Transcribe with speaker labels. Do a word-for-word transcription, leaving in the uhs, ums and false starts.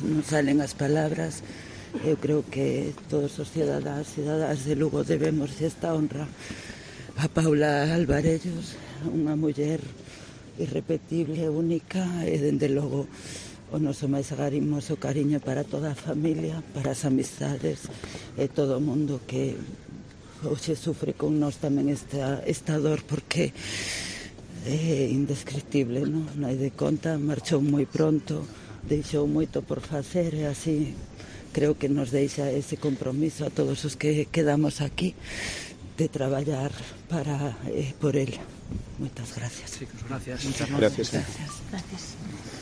Speaker 1: Non salen as palabras. Eu creo que todos os cidadáns e cidadás de Lugo debemos esta honra a Paula Alvarellos, unha muller irrepetible, única, e dende logo o noso máis agarimoso cariño para toda a familia, para as amistades e todo o mundo que hoxe sufre con nós tamén esta, esta dor, porque é indescriptible, non? Non hai de conta, marchou moi pronto, deixou moito por facer e así creo que nos deixa ese compromiso a todos os que quedamos aquí de traballar para eh, por el. Moitas gracias.
Speaker 2: Chicos, gracias.
Speaker 3: Muchas gracias.
Speaker 1: Gracias.
Speaker 4: Gracias.